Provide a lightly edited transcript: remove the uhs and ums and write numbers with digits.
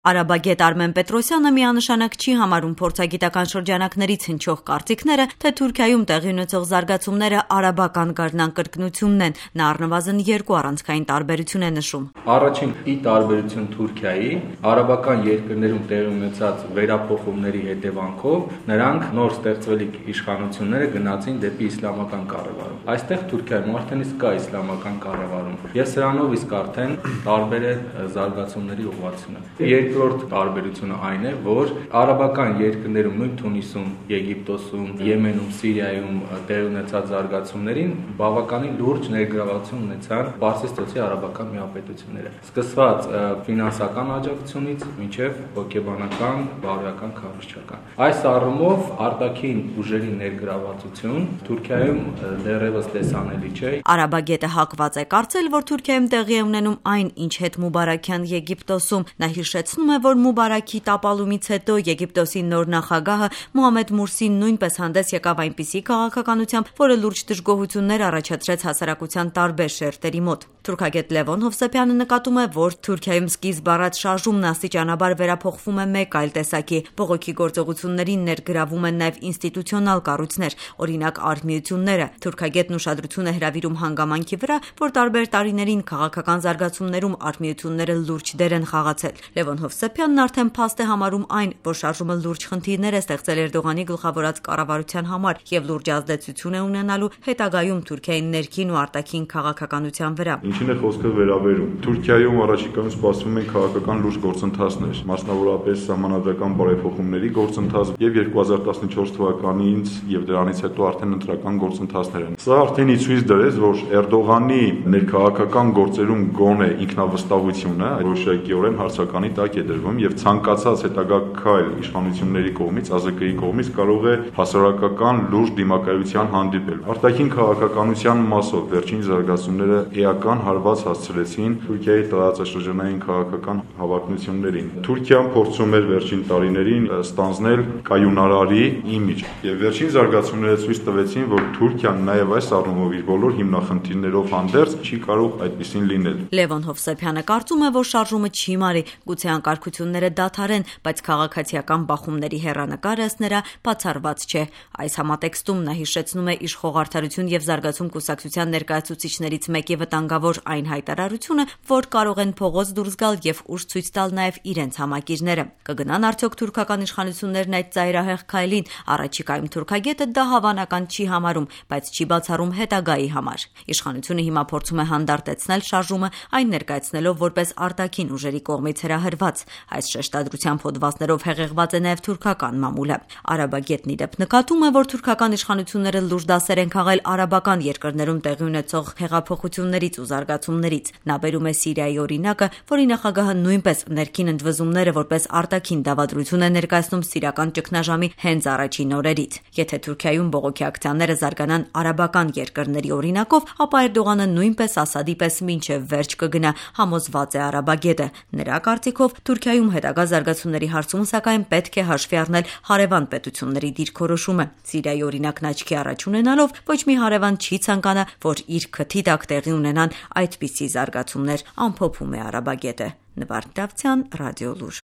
Արաբագետ Արմեն Պետրոսյանը միանշանակ չի համարում փորձագիտական շրջանակներից հնչող կարծիքները, թե Թուրքիայում տեղի ունեցող զարգացումները արաբական գարնան կրկնությունն են։ Նա առնվազն երկու առանցքային տարբերություն է նշում։ Առաջին ի տարբերություն Թուրքիայի, արաբական երկրներում տեղի ունեցած վերափոխումների հետևանքով նրանք նոր ստեղծվելիք իշխանությունները գնացին դեպի իսլամական կառավարում։ Այստեղ Թուրքիայում արդեն իսկ կա իսլամական կառավարում, եւ սրանով իսկ արդեն տարբեր է զարգացումների ուղղությունը։ Երկրորդ տարբերությունը այն է, որ արաբական երկրներում, նույն Թունիսում, Եգիպտոսում, Եմենում, Սիրիայում տեղի ունեցած զարգացումներին բավականին լուրջ ներգրավություն ունեցան Պարսից ծոցի արաբական միապետությունները, սկսված ֆինանսական աջակցությունից մինչև հոգեբանական, բարոյական, քարոզչական։ Այս առումով արտաքին ուժերի ներգրավվածություն Թուրքիայում դեռևս տեսանելի չէ։ Արաբագետը հակված է կարծել, որ Թուրքիայում տեղի է ունենում այն, ինչ հետ Մուբարաքյան Եգիպտոսում։ Նա հիշեցնում է, որ Մուբարաքի տապալումից հետո Եգիպտոսի նոր նախագահը Մոհամեդ Մուրսին նույնպես հանդես եկավ այնպիսի քաղաքականությամբ, որը լուրջ դժգոհություններ առաջացրեց հասարակության տարբեր շերտերի մոտ։ Թուրքագետ Լևոն Հովսեփյանը նկատում է, որ Թուրքիայում սկիզբ առած շարժումն աստիճանաբար վերափոխվում է մեկ այլ տեսակի։ Բողոքի գործողություններին ներգրավում են նաև ինստիտուցիոնալ կառույցներ, օրինակ արհմիությունները։ Թուրքագետն ուշադրություն է հրավիրում հանգամանքի վրա, որ տարբեր տարիներին քաղաքական զարգացումներում արհմիությունները լուրջ դեր են խաղացել։ Լևոն Հովսեփյանն արդեն փաստ է համարում այն, որ շարժումը լուրջ խնդիրներ է ստեղծել Էրդողանի գլխավորած կառավարության համար եւ լուրջ ազդեցություն է ունենալու հետագայում Թուրքիայի ներքին ու արտաքին քաղաքականության վրա։ Ինչին է խոսքը վերաբերում։ Թուրքիայում առաջիկայում սպասվում են քաղաքական լուրջ գործընթացներ, մասնավորապես սահմանադրական բարեփոխումների գործընթաց եւ 2014 թվականից եւ դրանից հետո արդեն ընտրական գործընթացներ են։ Սա արդեն ցույց դրեց, որ Էրդողանի ներքաղաքական գործերում գոնե ինքնավստահությունը որոշակիորեն հարցականի տակ է դրվում եւ ցանկացած հետագա քայլ իշխանությունների կողմից, ԱԶԿ-ի կողմից կարող է հասարակական լուրջ դիմակայության հանդիպել։ Արտաքին քաղաքականության մասով վերջին զարգացումները էական հարված հասցրեցին Թուրքիայի տարածաշրջանային քաղաքական հավակնություններին։ Թուրքիան փորձում էր վերջին տարիներին ստանձնել կայունարարի իմիջ եւ վերջին զարգացումները ցույց տվեցին, որ Թուրքիան նաեւ այս առումով իր բոլոր հիմնախնդիրներով հանդերձ չի կարող այդպեսին լինել։ Լևոն Հովսեփյանը կարծում է, որ շարժումը չի մարի, գուցե անկարգությունները դադարեն, բայց քաղաքացիական բախումների հեռանկարը ըստ նրա բացառված չէ։ Այս համատեքստում նա հիշեցնում է իշխող Արդարություն եւ զարգացում կուսակցության ներկայացուցիչներից մեկի վտանգավոր այն հայտարարությունը, որ կարող են փողոց դուրս գալ եւ ուժ ցույց տալ նաեւ իրենց համակիրները։ Կգնան արդյոք թուրքական իշխանություններն այդ ծայրահեղ քայլին։ Առաջիկայում թուրքագետը դա հավանական չի համարում, բայց չի բացառում հետագայի համար։ Իշխանությունը հիմա փորձում է հանդարտեցնել շարժումը, այն ներկայացնելով որպես արտաքին ուժերի կողմից հրահրված։ Այս շեշտադրությամբ հոդվածներով հեղեղված է նաև թուրքական մամուլը։ Արաբագետն ի դեպ նկատում է, որ թուրքական իշխանությունները լուրջ դասեր են քաղել արաբական երկրներում տեղի ունեցող հեղափոխություններից ու զարգացումներից։ Նա բերում է Սիրիայի օրինակը, որի նախագահը նույնպես ներքին ընդվզումները որպես արտաքին դավադրություն է ներկայացնում սիրիական ճգնաժամի հենց առաջին օրերից։ Եթե Թուրքիայում բողոքի ակցիաները զարգանան արաբական երկրների օրինակով, ապա Էրդողանը նույնպես Ասադի պես մինչև վերջ կգնա, համոզված է արաբագետը։ Նրա կարծիքով Թուրքիայում հետագա զարգացումների հարցում սակայն պետք է հաշվի առնել հարևան պետությունների դիրքորոշումը։ Սիրիայի օրինակն աչքի առաջ ունենալով ոչ մի հարևան չի ցանկանա, որ իր քթի տակ տեղի ունենան այդպիսի զարգացումներ, ամփոփում է արաբագետը։ Նվարդ Դավթյան, Ռադիոլուր։